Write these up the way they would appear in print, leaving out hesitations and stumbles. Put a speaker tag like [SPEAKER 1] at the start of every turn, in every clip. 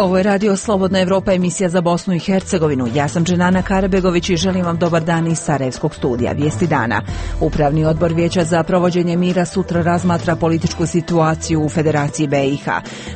[SPEAKER 1] Ovo je Radio Slobodna Evropa, emisija za Bosnu i Hercegovinu. Ja sam Dženana Karabegović i želim vam dobar dan iz Sarajevskog studija. Vijesti dana. Upravni odbor Vijeća za provođenje mira sutra razmatra političku situaciju u Federaciji BiH.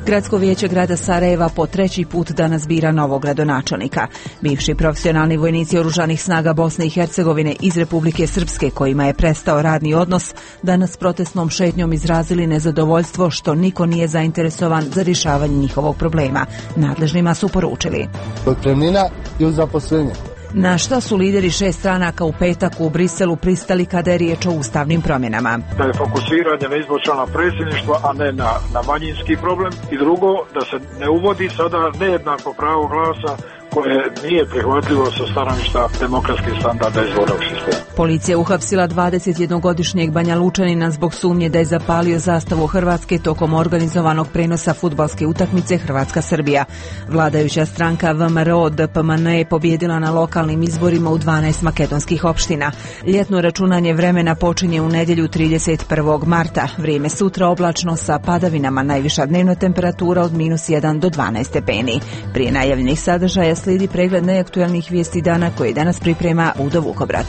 [SPEAKER 1] Gradsko vijeće grada Sarajeva po treći put danas bira novog gradonačelnika. Bivši profesionalni vojnici oružanih snaga Bosne i Hercegovine iz Republike Srpske, kojima je prestao radni odnos, danas protestnom šetnjom izrazili nezadovoljstvo što niko nije zainteresovan za rješavanje njihovog problema. Nadležnima su poručili
[SPEAKER 2] otpremnina i uz zaposlenje.
[SPEAKER 1] Na šta su lideri 6 stranaka u petak u Briselu pristali kada je riječ o ustavnim promjenama?
[SPEAKER 3] Da je fokusiranje na izbor člana predsjedništva, a ne na manjinski problem. I drugo, da se ne uvodi sada nejednako pravo glasa koje nije prihvatljivo sa stanovišta demokratskih standarda izbornog sistema.
[SPEAKER 1] Policija uhapsila 21-godišnjeg Banja Lučanina zbog sumnje da je zapalio zastavu Hrvatske tokom organizovanog prenosa fudbalske utakmice Hrvatska-Srbija. Vladajuća stranka VMRO DPMN je pobjedila na lokalnim izborima u 12 makedonskih opština. Ljetno računanje vremena počinje u nedjelju 31. marta. Vrijeme sutra oblačno sa padavinama, najviša dnevna temperatura od -1 do 12 stepeni. Prije najavljenih sadržaja slijedi pregled najaktualnijih vijesti dana koje danas priprema Udo Vukobrat.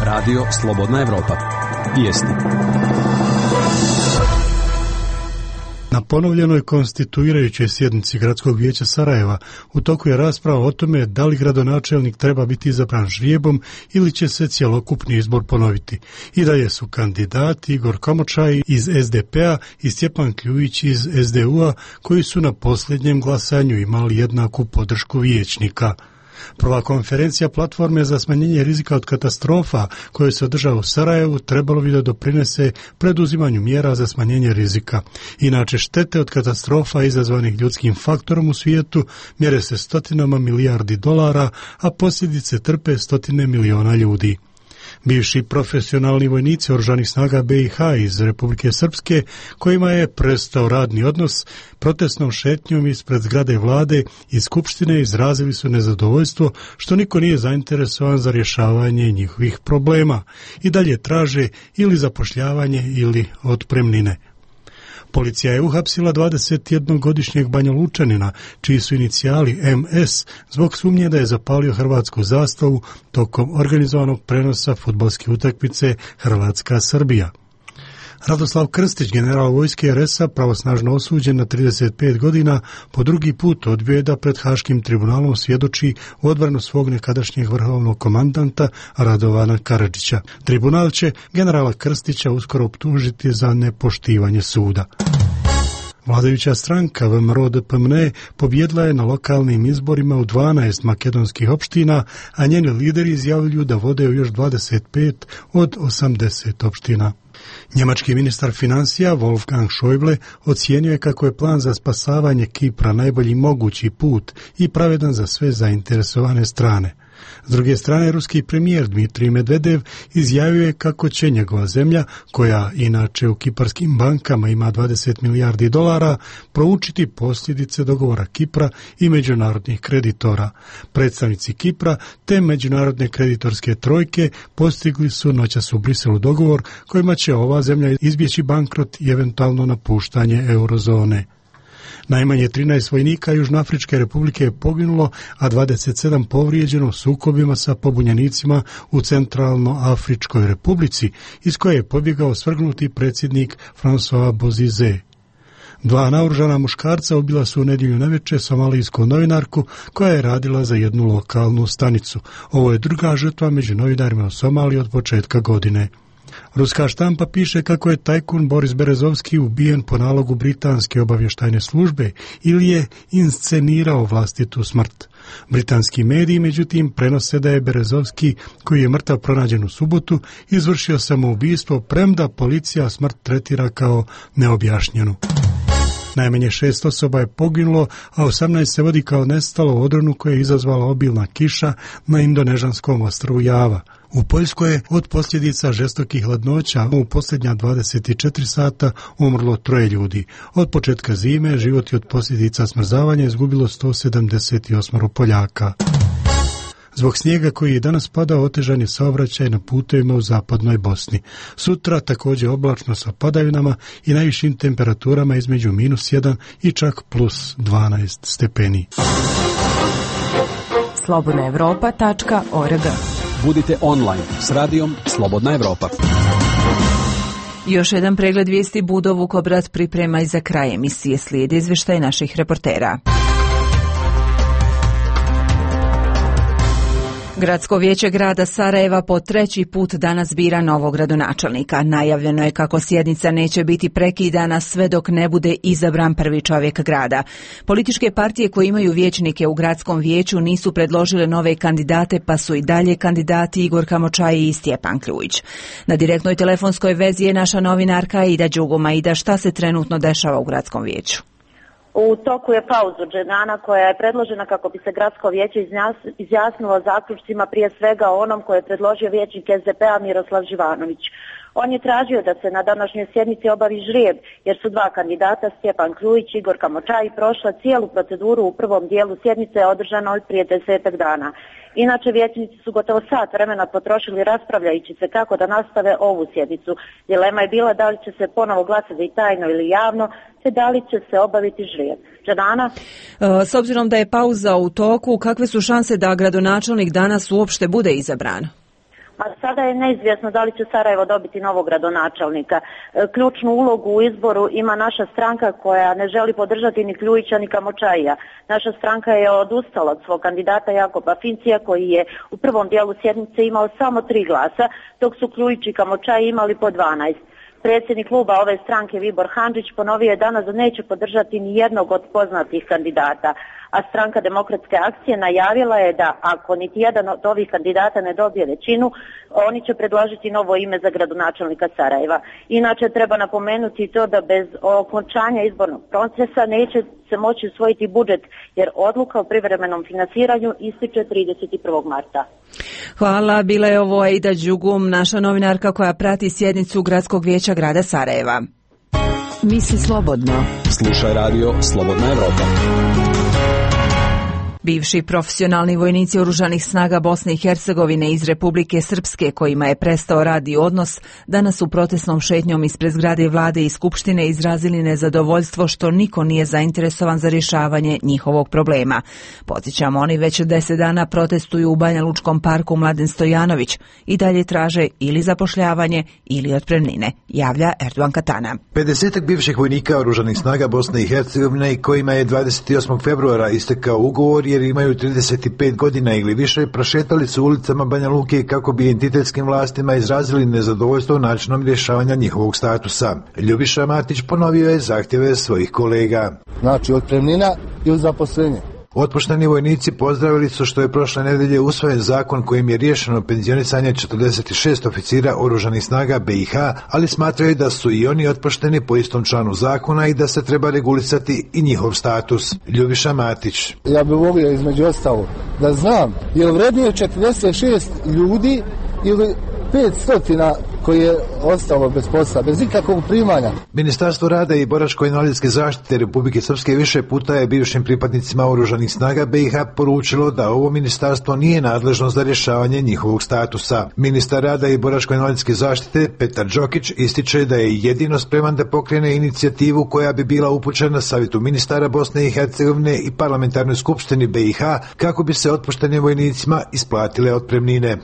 [SPEAKER 4] Radio Slobodna Evropa. Vijesti.
[SPEAKER 5] Na ponovljenoj konstituirajućoj sjednici Gradskog vijeća Sarajeva u toku je rasprava o tome da li gradonačelnik treba biti izabran žrijebom ili će se cjelokupni izbor ponoviti. I dalje su kandidati Igor Komočaj iz SDP-a i Stjepan Kljujić iz SDU-a koji su na posljednjem glasanju imali jednaku podršku vijećnika. Prva konferencija platforme za smanjenje rizika od katastrofa koja se održava u Sarajevu trebalo bi da doprinese preduzimanju mjera za smanjenje rizika. Inače, štete od katastrofa izazvanih ljudskim faktorom u svijetu mjere se stotinama milijardi dolara, a posljedice trpe stotine miliona ljudi. Bivši profesionalni vojnici oružanih snaga BiH iz Republike Srpske, kojima je prestao radni odnos, protestnom šetnjom ispred zgrade vlade i skupštine izrazili su nezadovoljstvo što niko nije zainteresovan za rješavanje njihovih problema i dalje traže ili zapošljavanje ili otpremnine. Policija je uhapsila 21-godišnjeg Banja Lučanina, čiji su inicijali MS, zbog sumnje da je zapalio hrvatsku zastavu tokom organizovanog prenosa fudbalske utakmice Hrvatska-Srbija. Radoslav Krstić, general vojske RS-a, pravosnažno osuđen na 35 godina, po drugi put odbio je da pred Haškim tribunalom svjedoči u odbranu svog nekadašnjeg vrhovnog komandanta Radovana Karadžića. Tribunal će generala Krstića uskoro optužiti za nepoštivanje suda. Vladajuća stranka VMRO DPMN pobjedila je na lokalnim izborima u 12 makedonskih opština, a njeni lideri izjavljuju da vode u još 25 od 80 opština. Njemački ministar financija Wolfgang Schäuble ocijenio je kako je plan za spasavanje Kipra najbolji mogući put i pravedan za sve zainteresovane strane. S druge strane, ruski premijer Dmitrij Medvedev izjavio je kako će njegova zemlja, koja inače u kiparskim bankama ima 20 milijardi dolara, proučiti posljedice dogovora Kipra i međunarodnih kreditora. Predstavnici Kipra te međunarodne kreditorske trojke postigli su noćas u Briselu dogovor kojima će ova zemlja izbjeći bankrot i eventualno napuštanje eurozone. Najmanje 13 vojnika Južnoafričke republike je poginulo, a 27 povrijeđeno sukobima sa pobunjenicima u Centralnoafričkoj republici, iz koje je pobjegao svrgnuti predsjednik François Bozize. 2 naoružana muškarca ubila su u nedjelju navečer somalijsku novinarku koja je radila za jednu lokalnu stanicu. Ovo je druga žrtva među novinarima u Somaliji od početka godine. Ruska štampa piše kako je tajkun Boris Berezovski ubijen po nalogu britanske obavještajne službe ili je inscenirao vlastitu smrt. Britanski mediji, međutim, prenose da je Berezovski, koji je mrtav pronađen u subotu, izvršio samoubistvo, premda policija smrt tretira kao neobjašnjenu. Najmanje 6 osoba je poginulo, a 18 se vodi kao nestalo u odronu koje je izazvala obilna kiša na indonežanskom ostrvu Java. U Poljskoj je od posljedica žestokih hladnoća u posljednja 24 sata umrlo 3 ljudi. Od početka zime život je od posljedica smrzavanja izgubilo 178 Poljaka. Zbog snijega koji je danas padao, otežan je saobraćaj na putevima u zapadnoj Bosni. Sutra također oblačno sa padavinama i najvišim temperaturama između -1 i čak +12 stepeni.
[SPEAKER 6] slobodnaevropa.org.
[SPEAKER 4] Budite online s radijom Slobodna Evropa.
[SPEAKER 1] Još jedan pregled vijesti Budo Vukobrad priprema i za kraj emisije. Slijedi izvještaj naših reportera. Gradsko vijeće grada Sarajeva po 3. put danas bira novog gradonačelnika. Najavljeno je kako sjednica neće biti prekidana sve dok ne bude izabran prvi čovjek grada. Političke partije koje imaju vijećnike u gradskom vijeću nisu predložile nove kandidate, pa su i dalje kandidati Igor Kamočaji i Stjepan Kljujić. Na direktnoj telefonskoj vezi je naša novinarka Aida Đuguma. Aida, šta se trenutno dešava u gradskom vijeću?
[SPEAKER 7] U toku je pauza Dženana koja je predložena kako bi se gradsko vijeće izjasnilo zaključcima, prije svega o onom koje je predložio vijećnik SDP-a Miroslav Živanović. On je tražio da se na današnjoj sjednici obavi žrijeb, jer su dva kandidata, Stjepan Kljujić i Igor Kamočaji, prošla cijelu proceduru u prvom dijelu sjednice održanoj prije 10 dana. Inače, vijećnici su gotovo sat vremena potrošili raspravljajući se kako da nastave ovu sjednicu. Dilema je bila da li će se ponovo glasati tajno ili javno, te da li će se obaviti žrijeb. Džanana?
[SPEAKER 1] S obzirom da je pauza u toku, kakve su šanse da gradonačelnik danas uopšte bude izabran?
[SPEAKER 7] A sada je neizvjesno da li će Sarajevo dobiti novog gradonačelnika. Ključnu ulogu u izboru ima naša stranka koja ne želi podržati ni Kljujića ni Kamočajija. Naša stranka je odustala od svog kandidata Jakoba Fincija koji je u prvom dijelu sjednice imao samo 3 glasa, dok su Kljujić i Kamočaji imali po 12. Predsjednik kluba ove stranke Vibor Handžić ponovio je danas da neće podržati ni jednog od poznatih kandidata, a stranka Demokratske akcije najavila je da ako niti jedan od ovih kandidata ne dobije većinu, oni će predložiti novo ime za gradonačelnika Sarajeva. Inače, treba napomenuti to da bez okončanja izbornog procesa neće se moći usvojiti budžet, jer odluka o privremenom finansiranju ističe 31. marta.
[SPEAKER 1] Hvala, bila je ovo Aida Đugum, naša novinarka koja prati sjednicu Gradskog vijeća grada Sarajeva.
[SPEAKER 6] Misli slobodno.
[SPEAKER 4] Slušaj radio Slobodna Evropa.
[SPEAKER 1] Bivši profesionalni vojnici Oružanih snaga Bosne i Hercegovine iz Republike Srpske, kojima je prestao radni odnos, danas u protestnom šetnjom ispred zgrade vlade i skupštine izrazili nezadovoljstvo što niko nije zainteresovan za rješavanje njihovog problema. Podsjećamo, oni već 10 dana protestuju u Banja Lučkom parku Mladen Stojanović i dalje traže ili zapošljavanje ili otpremnine, javlja Erdogan Katana.
[SPEAKER 8] 50 bivših vojnika Oružanih snaga Bosne i Hercegovine, kojima je 28. februara istekao ugovor jer imaju 35 godina ili više, prošetali su ulicama Banja Luke kako bi entitetskim vlastima izrazili nezadovoljstvo načinom rješavanja njihovog statusa. Ljubiša Matić ponovio je zahtjeve svojih kolega.
[SPEAKER 2] Znači, otpremnina ili zaposlenje.
[SPEAKER 8] Otpušteni vojnici pozdravili su što je prošle nedelje usvojen zakon kojim je riješeno penzionisanje 46 oficira Oružanih snaga BiH, ali smatraju da su i oni otpušteni po istom članu zakona i da se treba regulisati i njihov status. Ljubiša Matić.
[SPEAKER 2] Ja bih volio između ostalo da znam je li vrednije 46 ljudi ili 500 koji je ostalo bez posla, bez ikakvog primanja.
[SPEAKER 8] Ministarstvo rada i boračko-invalidske zaštite Republike Srpske više puta je bivšim pripadnicima Oružanih snaga BiH poručilo da ovo ministarstvo nije nadležno za rješavanje njihovog statusa. Ministar rada i boračko-invalidske zaštite Petar Đokić ističe da je jedino spreman da pokrene inicijativu koja bi bila upućena Savjetu ministara Bosne i Hercegovine i Parlamentarnoj skupštini BiH kako bi se otpuštenim vojnicima isplatile otpremnine.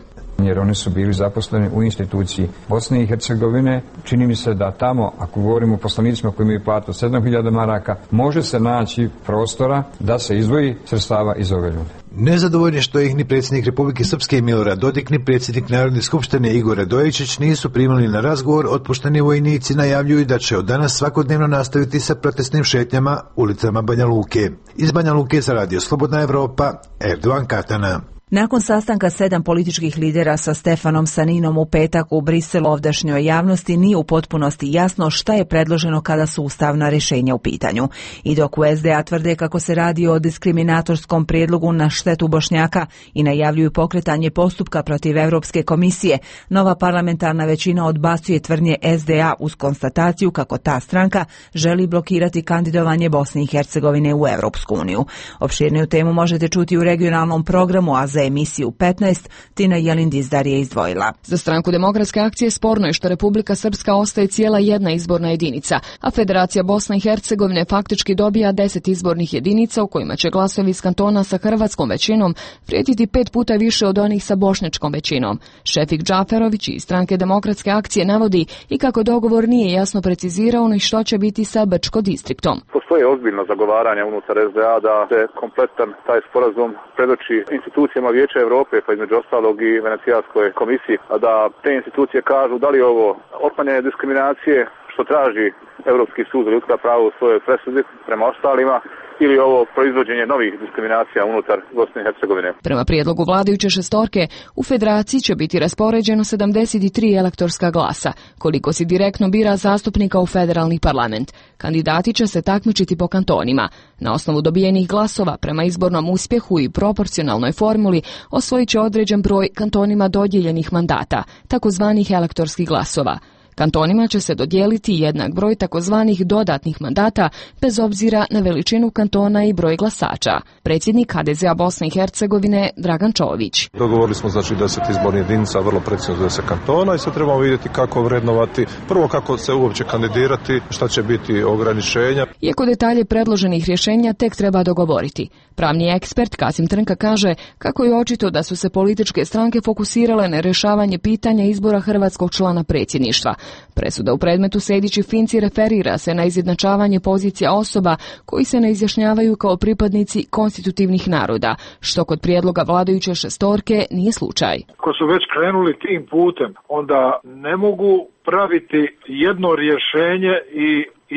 [SPEAKER 9] Jer oni su bili zaposleni u instituciji Bosne i Hercegovine. Čini mi se da tamo, ako govorimo o poslanicima koji imaju platu 7.000 maraka, može se naći prostora da se izdvoji sredstava iz ove ljude.
[SPEAKER 8] Nezadovoljni što ih ni predsjednik Republike Srpske Milorad Dodik ni predsjednik Narodne skupštine Igor Radojičić nisu primali na razgovor, otpušteni vojnici najavljuju da će od danas svakodnevno nastaviti sa protestnim šetnjama ulicama Banja Luke. Iz Banja Luke za radio Slobodna Evropa, Erdogan Katana.
[SPEAKER 1] Nakon sastanka 7 političkih lidera sa Stefanom Saninom u petak u Briselu, ovdašnjoj javnosti nije u potpunosti jasno šta je predloženo kada su ustavna rješenja u pitanju. I dok u SDA tvrde kako se radi o diskriminatorskom prijedlogu na štetu Bošnjaka i najavljuju pokretanje postupka protiv Europske komisije, nova parlamentarna većina odbacuje tvrdnje SDA uz konstataciju kako ta stranka želi blokirati kandidovanje Bosne i Hercegovine u Europsku uniju. Opširniju temu možete čuti u regionalnom programu, a za emisiju 15, Tina Jelin-Dizdar je izdvojila.
[SPEAKER 10] Za stranku Demokratske akcije sporno je što Republika Srpska ostaje cijela jedna izborna jedinica, a Federacija Bosne i Hercegovine faktički dobija 10 izbornih jedinica u kojima će glasovi iz kantona sa hrvatskom većinom prijetiti 5 puta više od onih sa bošnjačkom većinom. Šefik Džaferović iz stranke Demokratske akcije navodi i kako dogovor nije jasno precizirao ni što će biti sa Brčko distriktom.
[SPEAKER 11] Postoje ozbiljno zagovaranje unutar SDA da se kompletan taj sporazum predoči institucijama Vijeća Europe, pa između ostalog i Venecijanskoj komisiji, a da te institucije kažu da li ovo otklanjanje diskriminacije što traži Europski sud za ljudska prava u svojoj presudi prema ostalima, ili ovo proizvođenje novih diskriminacija unutar Bosne i Hercegovine.
[SPEAKER 10] Prema prijedlogu vladajuće šestorke, u federaciji će biti raspoređeno 73 elektorska glasa, koliko se direktno bira zastupnika u federalni parlament. Kandidati će se takmičiti po kantonima. Na osnovu dobijenih glasova, prema izbornom uspjehu i proporcionalnoj formuli, osvojit će određen broj kantonima dodijeljenih mandata, takozvanih elektorskih glasova. Kantonima će se dodijeliti jednak broj takozvanih dodatnih mandata bez obzira na veličinu kantona i broj glasača. Predsjednik HDZ-a Bosne i Hercegovine Dragan Čović.
[SPEAKER 12] Dogovorili smo 10 izbornih jedinica, vrlo precizno 10 kantona i sad trebamo vidjeti kako vrednovati, prvo kako se uopće kandidirati, šta će biti ograničenja.
[SPEAKER 10] Iako detalje predloženih rješenja tek treba dogovoriti. Pravni ekspert Kasim Trnka kaže kako je očito da su se političke stranke fokusirale na rješavanje pitanja izbora hrvatskog člana predsjedništva. Presuda u predmetu Sejdić i Finci referira se na izjednačavanje pozicija osoba koji se ne izjašnjavaju kao pripadnici konstitutivnih naroda, što kod prijedloga vladajuće šestorke nije slučaj.
[SPEAKER 3] Ako su već krenuli tim putem, onda ne mogu praviti jedno rješenje i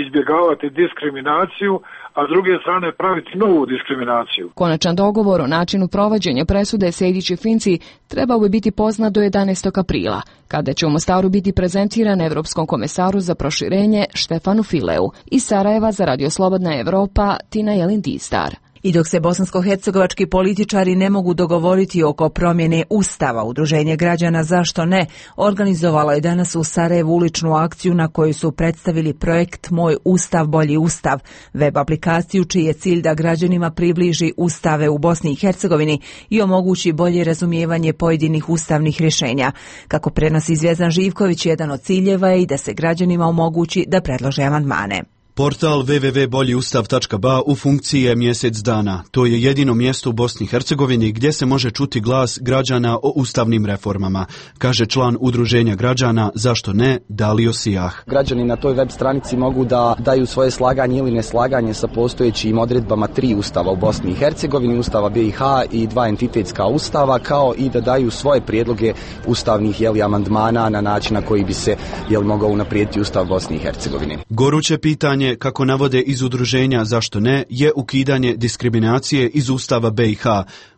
[SPEAKER 3] izbjegavati diskriminaciju, a s druge strane praviti novu diskriminaciju.
[SPEAKER 10] Konačan dogovor o načinu provođenja presude Sejdić i Finci trebao bi biti poznat do 11. aprila, kada će u Mostaru biti prezentiran Evropskom komesaru za proširenje Štefanu Fileu. Iz Sarajeva za Radio Slobodna Evropa, Tina Jelin-Dizdar.
[SPEAKER 1] I dok se bosansko-hercegovački političari ne mogu dogovoriti oko promjene Ustava, Udruženje građana Zašto ne organizovalo je danas u Sarajevu uličnu akciju na kojoj su predstavili projekt Moj Ustav, bolji Ustav, web aplikaciju čiji je cilj da građanima približi ustave u Bosni i Hercegovini i omogući bolje razumijevanje pojedinih ustavnih rješenja. Kako prenosi Zvjezdan Živković, jedan od ciljeva je i da se građanima omogući da predlože amandmane.
[SPEAKER 13] Portal www.boljiustav.ba u funkciji je mjesec dana. To je jedino mjesto u Bosni i Hercegovini gdje se može čuti glas građana o ustavnim reformama, kaže član Udruženja građana Zašto ne, Dalio Sijah.
[SPEAKER 14] Građani na toj web stranici mogu da daju svoje slaganje ili neslaganje sa postojećim odredbama 3 ustava u Bosni i Hercegovini, Ustava BiH i 2 entitetska ustava, kao i da daju svoje prijedloge ustavnih amandmana na način na koji bi se mogao unaprijediti Ustav Bosni i Hercegovine.
[SPEAKER 13] Goruće pitanje, kako navode iz Udruženja Zašto ne, je ukidanje diskriminacije iz Ustava BiH,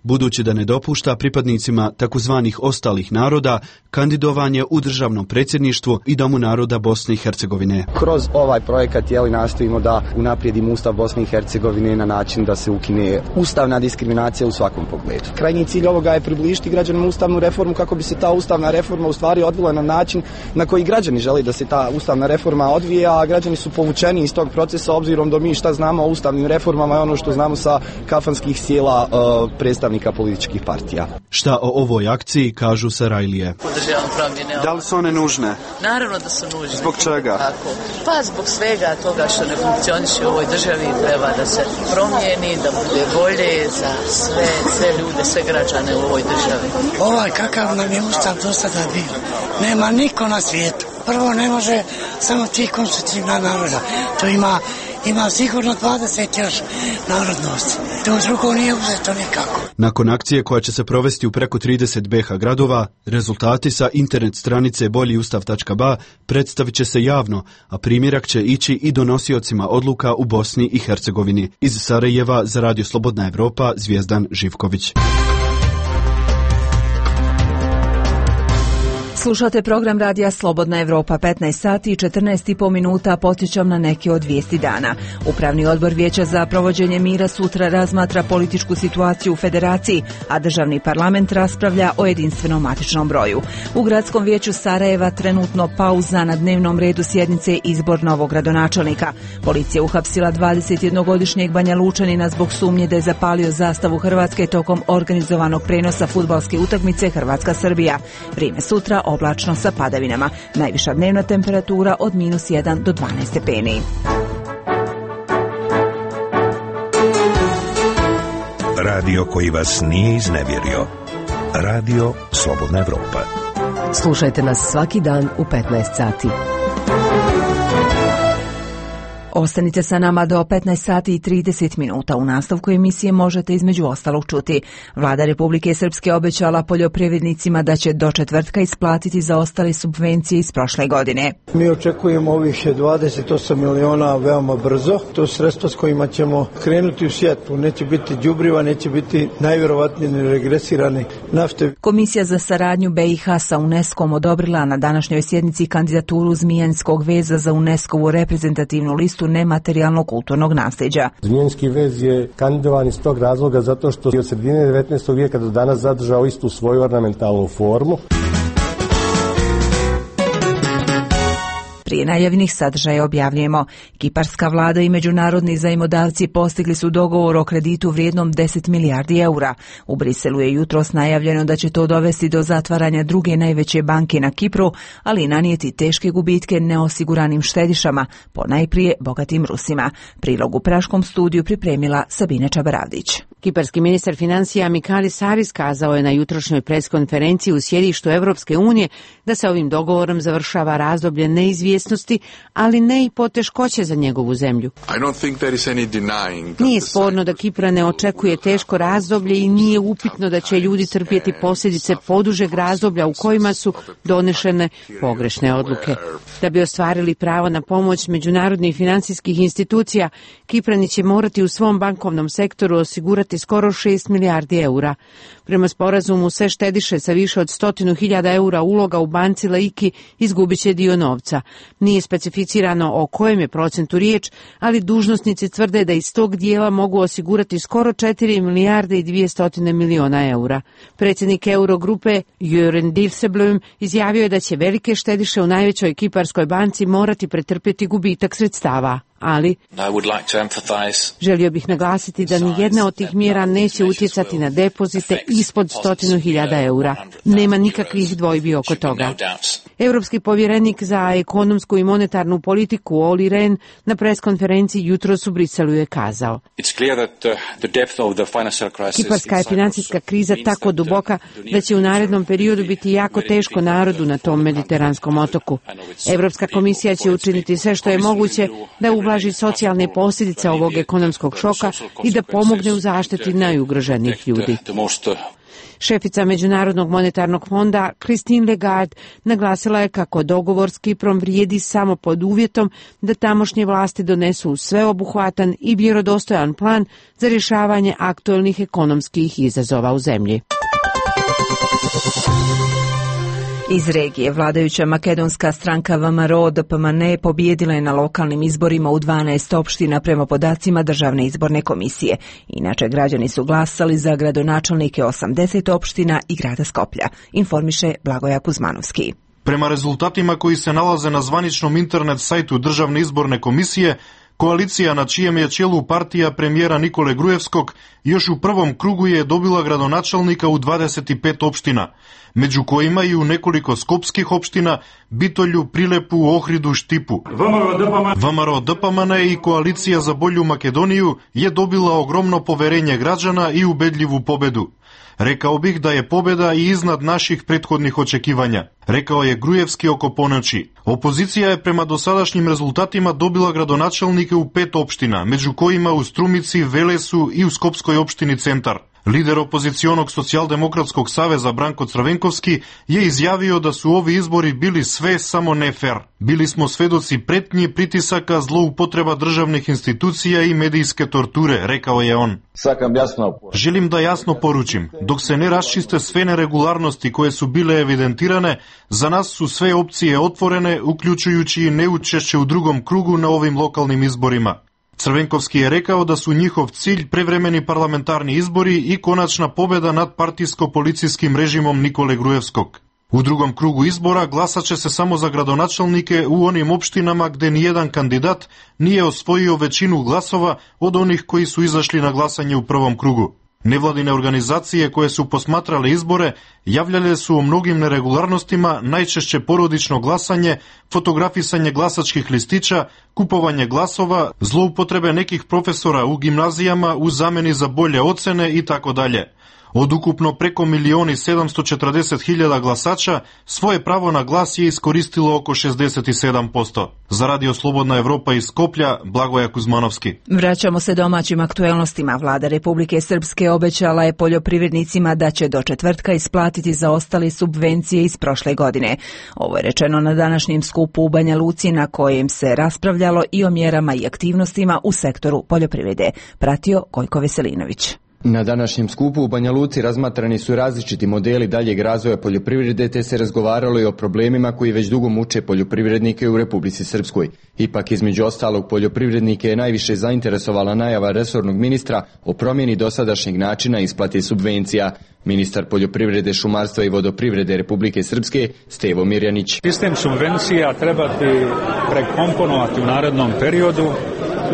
[SPEAKER 13] budući da ne dopušta pripadnicima takozvanih ostalih naroda kandidovanje u državnom predsjedništvu i Domu naroda Bosne i Hercegovine.
[SPEAKER 14] Kroz ovaj projekat nastojimo da unaprijedimo Ustav Bosne i Hercegovine na način da se ukine ustavna diskriminacija u svakom pogledu. Krajnji cilj ovoga je približiti građanima ustavnu reformu kako bi se ta ustavna reforma u stvari odvila na način na koji građani žele da se ta ustavna reforma odvija, a građani su povučeni iz tog procesa obzirom da mi šta znamo o ustavnim reformama i ono što znamo sa kafanskih sjela predstavnika političkih partija.
[SPEAKER 13] Šta o ovoj akciji kažu Sarajlije?
[SPEAKER 15] Da li su one nužne?
[SPEAKER 16] Naravno da su nužne.
[SPEAKER 15] Zbog čega?
[SPEAKER 16] Tako. Pa zbog svega toga što ne funkcioniše u ovoj državi treba da se promijeni, da bude bolje za sve ljude, sve građane u ovoj državi.
[SPEAKER 17] Ovaj kakav nam je ustav do sada bio. Nema niko na svijetu. Prvo ne može samo 3 konstitutivna naroda. To ima sigurno 20 još narodnosti. To drugo nije uzeto nikako.
[SPEAKER 13] Nakon akcije koja će se provesti u preko 30 BiH gradova, rezultati sa internet stranice boljiustav.ba predstavit će se javno, a primjerak će ići i donosiocima odluka u Bosni i Hercegovini. Iz Sarajeva za Radio Slobodna Evropa, Zvjezdan Živković.
[SPEAKER 1] Slušate program radija Slobodna Evropa, 15 sati i 14,5 minuta, podsjećam na neke od vijesti dana. Upravni odbor Vijeća za provođenje mira sutra razmatra političku situaciju u Federaciji, a državni parlament raspravlja o jedinstvenom matičnom broju. U gradskom vijeću Sarajeva trenutno pauza, na dnevnom redu sjednice izbor novog gradonačelnika. Policija uhapsila 21-godišnjeg Banja Lučanina zbog sumnje da je zapalio zastavu Hrvatske tokom organizovanog prenosa fudbalske utakmice Hrvatska-Srbija. Vrijeme sutra oblačno sa padavinama. Najviša dnevna temperatura od -1 do 12 stepeni.
[SPEAKER 18] Radio koji vas nije iznevjerio. Radio Slobodna Evropa.
[SPEAKER 6] Slušajte nas svaki dan u 15 sati.
[SPEAKER 1] Ostanite sa nama do 15 sati i 30 minuta. U nastavku emisije možete između ostalog čuti: Vlada Republike Srpske obećala poljoprivrednicima da će do četvrtka isplatiti zaostale subvencije iz prošle godine.
[SPEAKER 19] Mi očekujemo ovih 28 miliona veoma brzo. To su sredstva s kojima ćemo krenuti u sjetvu. Neće biti đubriva, neće biti najvjerovatnije regresirane nafte.
[SPEAKER 1] Komisija za saradnju BiH sa UNESCO-om odobrila na današnjoj sjednici kandidaturu Zmijanskog veza za UNESCO-vu reprezentativnu listu nematerijalnog kulturnog nasljeđa.
[SPEAKER 20] Zmijanski vez je kandidovan iz tog razloga zato što je od sredine 19. vijeka do danas zadržao istu svoju ornamentalnu formu.
[SPEAKER 1] Prije najavljenih sadržaja objavljujemo: Kiparska vlada i međunarodni zajmodavci postigli su dogovor o kreditu vrijednom 10 milijardi eura. U Briselu je jutros najavljeno da će to dovesti do zatvaranja druge najveće banke na Kipru, ali i nanijeti teške gubitke neosiguranim štedišama, ponajprije bogatim Rusima. Prilog u Praškom studiju pripremila Sabine Čabaravdić.
[SPEAKER 21] Kiparski ministar financija Mikalis Saris kazao je na jutrošnjoj preskonferenciji u sjedištu Evropske unije da se ovim dogovorom završava razdoblje neizvjesnosti, ali ne i poteškoće za njegovu zemlju. Nije sporno da Kipra ne očekuje teško razdoblje i nije upitno da će ljudi trpjeti posljedice podužeg razdoblja u kojima su donešene pogrešne odluke. Da bi ostvarili pravo na pomoć međunarodnih financijskih institucija, Kiprani će morati u svom bankovnom sektoru osigurati skoro 6 milijardi eura. Prema sporazumu, sve štediše sa više od 100.000 eura uloga u banci Laiki izgubit će dio novca. Nije specificirano o kojem je procentu riječ, ali dužnosnici tvrde da iz tog dijela mogu osigurati skoro 4 milijarde i 200 miliona eura. Predsjednik Eurogrupe Jörn Dijsselbloem izjavio je da će velike štediše u najvećoj kiparskoj banci morati pretrpjeti gubitak sredstava. Ali želio bih naglasiti da ni jedna od tih mjera neće utjecati na depozite ispod 100.000 eura. Nema nikakvih dvojbi oko toga. Europski povjerenik za ekonomsku i monetarnu politiku Olli Rehn na preskonferenciji jutros u Briselu je kazao: Kiparska je financijska kriza tako duboka da će u narednom periodu biti jako teško narodu na tom mediteranskom otoku. Europska komisija će učiniti sve što je moguće da ublaži socijalne posljedice ovog ekonomskog šoka i da pomogne u zaštiti najugroženijih ljudi. Šefica Međunarodnog monetarnog fonda Christine Lagarde naglasila je kako dogovor s Kiprom vrijedi samo pod uvjetom da tamošnje vlasti donesu sveobuhvatan i vjerodostojan plan za rješavanje aktualnih ekonomskih izazova u zemlji.
[SPEAKER 1] Iz regije vladajuća makedonska stranka VMRO-DPMNE pobijedila je na lokalnim izborima u 12 opština prema podacima Državne izborne komisije. Inače, građani su glasali za gradonačelnike 80 opština i grada Skoplja, informiše Blagoja Kuzmanovski.
[SPEAKER 22] Prema rezultatima koji se nalaze na zvaničnom internet sajtu Državne izborne komisije, koalicija na čijem je čelu partija premijera Nikole Grujevskog još u prvom krugu je dobila gradonačelnika u 25 opština, među kojima i u nekoliko skopskih opština, Bitolju, Prilepu, Ohridu, Štipu. VMRO-DPMNE i koalicija za bolju Makedoniju je dobila ogromno poverenje građana i ubedljivu pobedu. Rekao bih da je pobjeda i iznad naših prethodnih očekivanja, rekao je Grujevski oko ponoći. Opozicija je prema dosadašnjim rezultatima dobila gradonačelnike u 5 opština, među kojima u Strumici, Velesu i u Skopskoj opštini Centar. Lider opozicionog socijaldemokratskog saveza Branko Crvenkovski je izjavio da su ovi izbori bili sve samo ne fer. Bili smo svedoci pretnji, pritisaka, zloupotreba državnih institucija i medijske torture, rekao je on. Želim da jasno poručim, dok se ne raščiste sve neregularnosti koje su bile evidentirane, za nas su sve opcije otvorene, uključujući i neučešće u drugom krugu na ovim lokalnim izborima. Crvenkovski je rekao da su njihov cilj prevremeni parlamentarni izbori i konačna pobjeda nad partijsko-policijskim režimom Nikole Grujevskog. U drugom krugu izbora glasat će se samo za gradonačelnike u onim opštinama gde nijedan kandidat nije osvojio većinu glasova od onih koji su izašli na glasanje u prvom krugu. Nevladine organizacije koje su posmatrale izbore javljale su o mnogim neregularnostima, najčešće porodično glasanje, fotografisanje glasačkih listića, kupovanje glasova, zloupotrebe nekih profesora u gimnazijama u zameni za bolje ocene itd. Od ukupno preko 1.740.000 glasača svoje pravo na glas je iskoristilo oko 67%. Za Radio Slobodna Evropa iz Skoplja, Blagoja Kuzmanovski.
[SPEAKER 1] Vraćamo se domaćim aktuelnostima. Vlada Republike Srpske obećala je poljoprivrednicima da će do četvrtka isplatiti zaostale subvencije iz prošle godine. Ovo je rečeno na današnjem skupu u Banja Luci na kojem se raspravljalo i o mjerama i aktivnostima u sektoru poljoprivrede. Pratio Gojko Veselinović.
[SPEAKER 5] Na današnjem skupu u Banja Luci razmatrani su različiti modeli daljeg razvoja poljoprivrede te se razgovaralo i o problemima koji već dugo muče poljoprivrednike u Republici Srpskoj. Ipak između ostalog poljoprivrednike je najviše zainteresovala najava resornog ministra o promjeni dosadašnjeg načina isplate subvencija. Ministar poljoprivrede, šumarstva i vodoprivrede Republike Srpske Stevo Mirjanić.
[SPEAKER 7] Sistem subvencija trebati prekomponovati u narednom periodu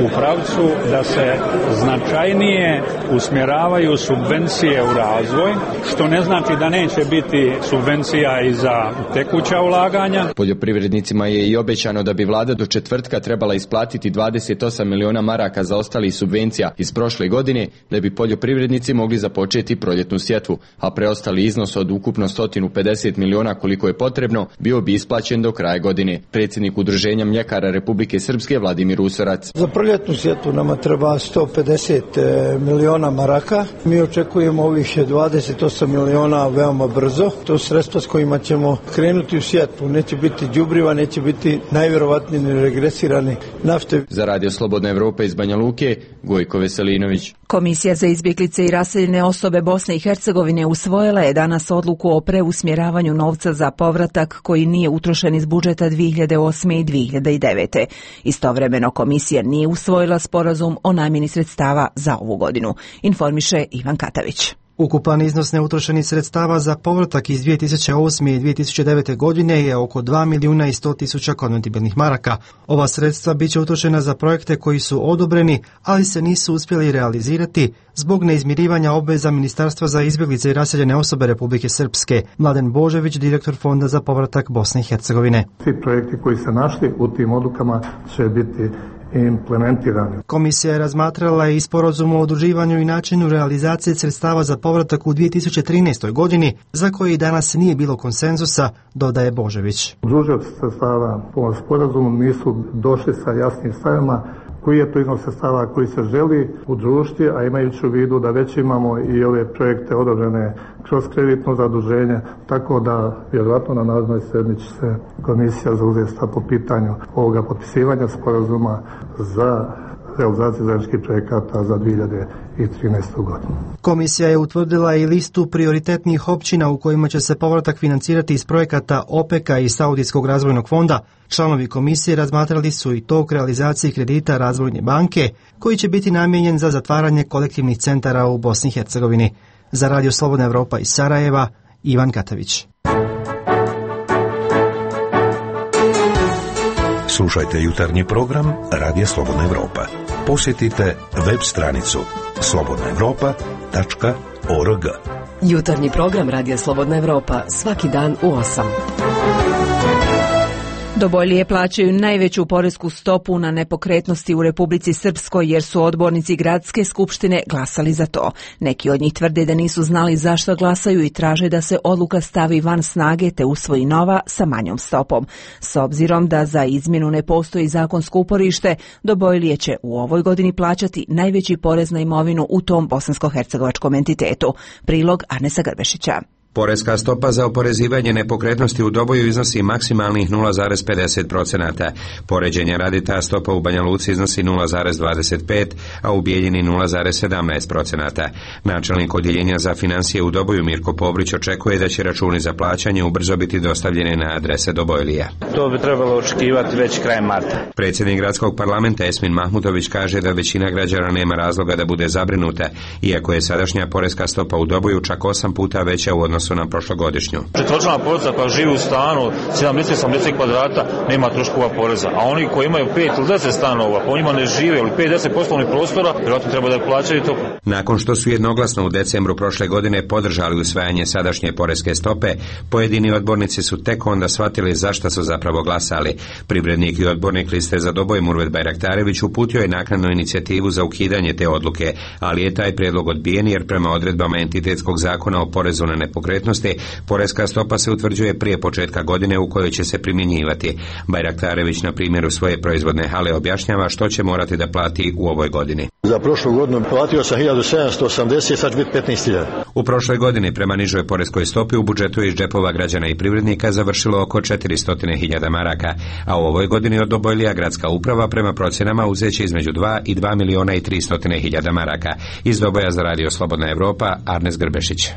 [SPEAKER 7] u pravcu da se značajnije usmjeravaju subvencije u razvoj, što ne znači da neće biti subvencija i za tekuća ulaganja.
[SPEAKER 5] Poljoprivrednicima je i obećano da bi vlada do četvrtka trebala isplatiti 28 miliona maraka za ostalih subvencija iz prošle godine da bi poljoprivrednici mogli započeti proljetnu sjetvu, a preostali iznos od ukupno 150 miliona koliko je potrebno bio bi isplaćen do kraja godine. Predsjednik Udruženja mljekara Republike Srpske Vladimir Usorac.
[SPEAKER 19] Za proljetnu sjetvu nama treba 150 miliona maraka. Mi očekujemo ovih 28 miliona veoma brzo. To su sredstva s kojima ćemo krenuti u sjetvu. Neće biti đubriva, neće biti najvjerovatnije regresirani nafte.
[SPEAKER 5] Za Radio Slobodna Evropa iz Banja Luke, Gojko Veselinović.
[SPEAKER 1] Komisija za izbjeglice i raseljene osobe Bosne i Hercegovine usvojila je danas odluku o preusmjeravanju novca za povratak koji nije utrošen iz budžeta 2008. i 2009. Istovremeno komisija nije usvojila sporazum o namjeni sredstava za ovu godinu, informiše Ivan Katavić.
[SPEAKER 23] Ukupan iznos neutrošenih sredstava za povratak iz 2008. i 2009. godine je oko 2.100.000 konvertibilnih maraka. Ova sredstva bit će utrošena za projekte koji su odobreni, ali se nisu uspjeli realizirati zbog neizmirivanja obveza Ministarstva za izbjeglice i raseljene osobe Republike Srpske. Mladen Božević, direktor Fonda za povratak Bosne i Hercegovine.
[SPEAKER 24] Svi projekti koji se našli u tim odlukama će biti implementirani.
[SPEAKER 23] Komisija je razmatrala i sporazum o udruživanju i načinu realizacije sredstava za povratak u 2013. godini, za koji danas nije bilo konsenzusa, dodaje Božević.
[SPEAKER 24] Udružioci sredstava po sporazumu nisu došli sa jasnim stavima koji je to iznos sredstava koji se želi udružiti, a imajući u vidu da već imamo i ove projekte odobrene kroz kreditno zaduženje, tako da vjerojatno na narednoj sjednici se komisija zauzeti po pitanju ovoga potpisivanja sporazuma za realizaciju zajedničkih projekata za 2013. godinu.
[SPEAKER 23] Komisija je utvrdila i listu prioritetnih općina u kojima će se povratak financirati iz projekata OPEC-a i Saudijskog razvojnog fonda. Članovi komisije razmatrali su i tok realizacije kredita Razvojne banke, koji će biti namijenjen za zatvaranje kolektivnih centara u Bosni i Hercegovini. Za Radio Slobodna Evropa iz Sarajeva, Ivan Katavić.
[SPEAKER 18] Slušajte jutarnji program Radija Slobodna Evropa. Posjetite web stranicu slobodnaevropa.org.
[SPEAKER 6] Jutarnji program Radija Slobodna Evropa svaki dan u 8.
[SPEAKER 1] Dobojlije plaćaju najveću poresku stopu na nepokretnosti u Republici Srpskoj jer su odbornici gradske skupštine glasali za to. Neki od njih tvrde da nisu znali zašto glasaju i traže da se odluka stavi van snage te usvoji nova sa manjom stopom. S obzirom da za izmjenu ne postoji zakonsko uporište, Dobojlije će u ovoj godini plaćati najveći porez na imovinu u tom bosansko-hercegovačkom entitetu. Prilog Arnesa Grbešića.
[SPEAKER 2] Poreska stopa za oporezivanje nepokretnosti u Doboju iznosi maksimalnih 0,50%. Poređenja radi ta stopa u Banja Luci iznosi 0,25%, a u Bijeljini 0,17%. Načelnik odjeljenja za financije u Doboju Mirko Povrić očekuje da će računi za plaćanje ubrzo biti dostavljeni na adrese Dobojlija.
[SPEAKER 4] To bi trebalo očekivati već krajem marta.
[SPEAKER 2] Predsjednik gradskog parlamenta Esmin Mahmutović kaže da većina građana nema razloga da bude zabrinuta, iako je sadašnja poreska stopa u Doboju čak 8 puta veća u odnosu na prošlogodišnju.
[SPEAKER 4] Četvrčlana porodica koja živi u stanu 70-80 kvadrata nema troškova poreza, a oni koji imaju 5 ili 10 stanova, po njima ne žive ili 5-10 poslovnih prostora, vjerojatno treba da plaćaju to.
[SPEAKER 2] Nakon što su jednoglasno u decembru prošle godine podržali usvajanje sadašnje poreske stope, pojedini odbornici su tek onda shvatili zašto su zapravo glasali. Privrednik i odbornik liste za Doboj Murvet Bajraktarević uputio je naknadnu inicijativu za ukidanje te odluke, ali je taj prijedlog odbijen jer prema odredbama entitetskog zakona o porezu na nepokretnosti poreska stopa se utvrđuje prije početka godine u kojoj će se primjenjivati. Bajraktarević na primjeru svoje proizvodne hale objašnjava što će morati da plati u ovoj godini.
[SPEAKER 8] Za prošlu godinu platio sam 1780, sad će biti 15.000.
[SPEAKER 2] U prošloj godini prema nižoj poreskoj stopi u budžetu iz džepova građana i privrednika završilo oko 400.000 maraka, a u ovoj godini od Dobojlija gradska uprava prema procjenama uzeće između 2 i 2.300.000 maraka. Iz Doboja za Radio Slobodna Evropa, Arnes Grbešić.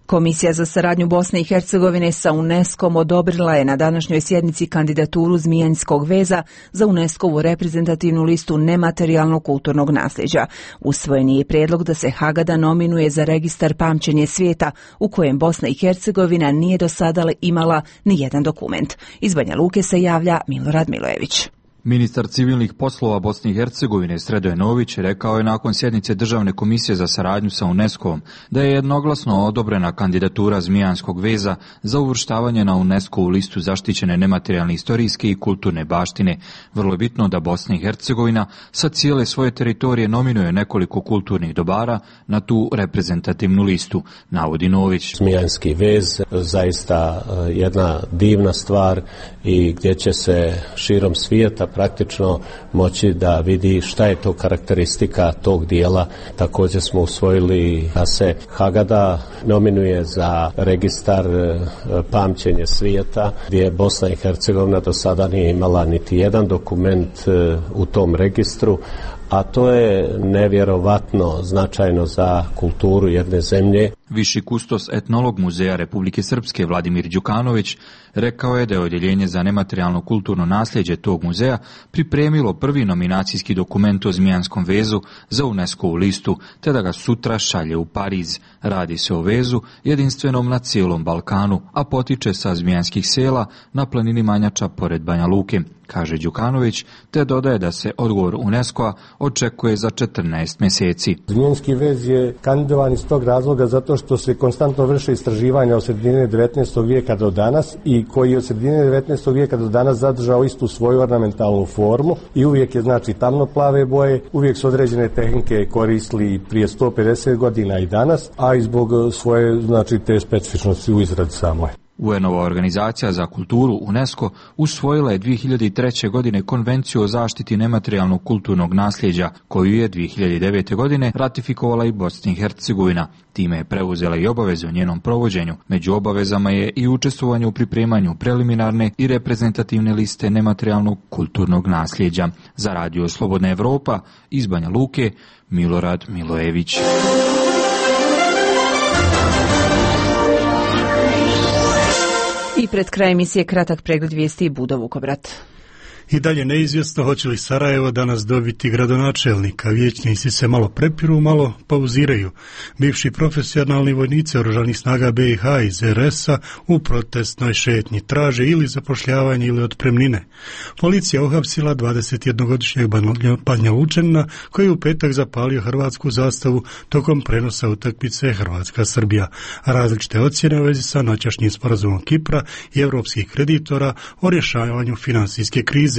[SPEAKER 1] Komisija za saradnju Bosne i Hercegovine sa UNESCO-om odobrila je na današnjoj sjednici kandidaturu Zmijanskog veza za UNESCO-vu reprezentativnu listu nematerijalnog kulturnog nasljeđa. Usvojen je prijedlog da se Hagada nominuje za registar pamćenje svijeta u kojem Bosna i Hercegovina nije do sada imala ni jedan dokument. Iz Banja Luke se javlja Milorad Milojević.
[SPEAKER 9] Ministar civilnih poslova Bosne i Hercegovine Sredo Nović rekao je nakon sjednice Državne komisije za saradnju sa UNESCO-om da je jednoglasno odobrena kandidatura Zmijanskog veza za uvrštavanje na UNESCO-vu listu zaštićene nematerijalne historijske i kulturne baštine. Vrlo je bitno da Bosna i Hercegovina sa cijele svoje teritorije nominuje nekoliko kulturnih dobara na tu reprezentativnu listu, navodi Nović.
[SPEAKER 25] Zmijanski vez zaista jedna divna stvar i gdje će se širom svijeta praktično moći da vidi šta je to karakteristika tog dijela. Također smo usvojili da se Hagada nominuje za registar pamćenje svijeta, gdje Bosna i Hercegovina do sada nije imala niti jedan dokument u tom registru, a to je nevjerovatno značajno za kulturu jedne zemlje.
[SPEAKER 9] Viši kustos etnolog Muzeja Republike Srpske Vladimir Đukanović rekao je da je odjeljenje za nematerijalno kulturno nasljeđe tog muzeja pripremilo prvi nominacijski dokument o Zmijanskom vezu za UNESCO-vu listu, te da ga sutra šalje u Pariz. Radi se o vezu jedinstvenom na cijelom Balkanu, a potiče sa zmijanskih sela na planini Manjača pored Banja Luke, kaže Đukanović, te dodaje da se odgovor UNESCO-a očekuje za 14 mjeseci.
[SPEAKER 20] Zmijanski vez je kandidovan iz tog razloga zato što se konstantno vrše istraživanja od sredine 19. vijeka do danas i koji od sredine 19. vijeka do danas zadržao istu svoju ornamentalnu formu i uvijek je znači tamnoplave boje, uvijek su određene tehnike koristili prije 150 godina i danas, a i zbog svoje znači te specifičnosti u izradi samoj.
[SPEAKER 9] UN-ova organizacija za kulturu UNESCO usvojila je 2003. godine Konvenciju o zaštiti nematerijalnog kulturnog nasljeđa, koju je 2009. godine ratifikovala i Bosna i Hercegovina. Time je preuzela i obaveze o njenom provođenju. Među obavezama je i učestvovanje u pripremanju preliminarne i reprezentativne liste nematerijalnog kulturnog nasljeđa. Za Radio Slobodna Evropa iz Banja Luke, Milorad Milojević.
[SPEAKER 1] I pred kraj emisije kratak pregled vijesti i Budo Vukovrat.
[SPEAKER 3] I dalje neizvjesno hoće li Sarajevo danas dobiti gradonačelnika. Vijećnici se malo prepiru, malo pauziraju. Bivši profesionalni vojnici oružanih snaga BiH iz RS-a u protestnoj šetnji traže ili zapošljavanje ili otpremnine. Policija uhapsila 21-godišnjeg Banja Lučanina koji je u petak zapalio hrvatsku zastavu tokom prenosa utakmice Hrvatska-Srbija. Različite ocjene u vezi sa noćašnjim sporazumom Kipra i europskih kreditora o rješavanju financijske krize.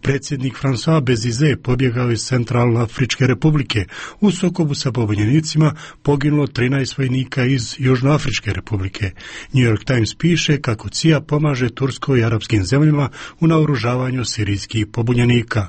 [SPEAKER 3] Predsjednik François Bezize pobjegao iz Centralnoafričke republike. U sukobu sa pobunjenicima poginulo 13 vojnika iz Južnoafričke republike. New York Times piše kako CIA pomaže Turskoj i arapskim zemljama u naoružavanju sirijskih pobunjenika.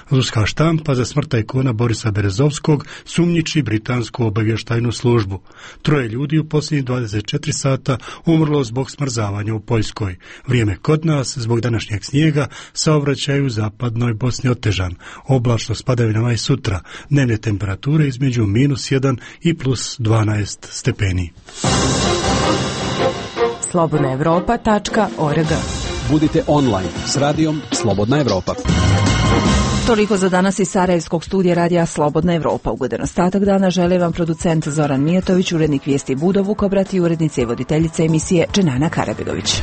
[SPEAKER 3] Ruska štampa za smrt tajkuna Borisa Berezovskog sumnjiči britansku obavještajnu službu. 3 ljudi u posljednjih 24 sata umrlo zbog smrzavanja u Poljskoj. Vrijeme kod nas zbog današnjeg snijega saobraćaj u zapadnoj Bosni otežan. Oblačno s padavinama i sutra. Dnevne temperature između -1 i +12 stepeni.
[SPEAKER 6] slobodnaevropa.org.
[SPEAKER 10] Budite online s radijom Slobodna Evropa.
[SPEAKER 1] Toliko za danas iz Sarajevskog studija radija Slobodna Evropa. Ugodan ostatak dana žele vam producent Zoran Mijatović, urednik vijesti Budo Vukobrat i urednica i voditeljica emisije Dženana Karabegović.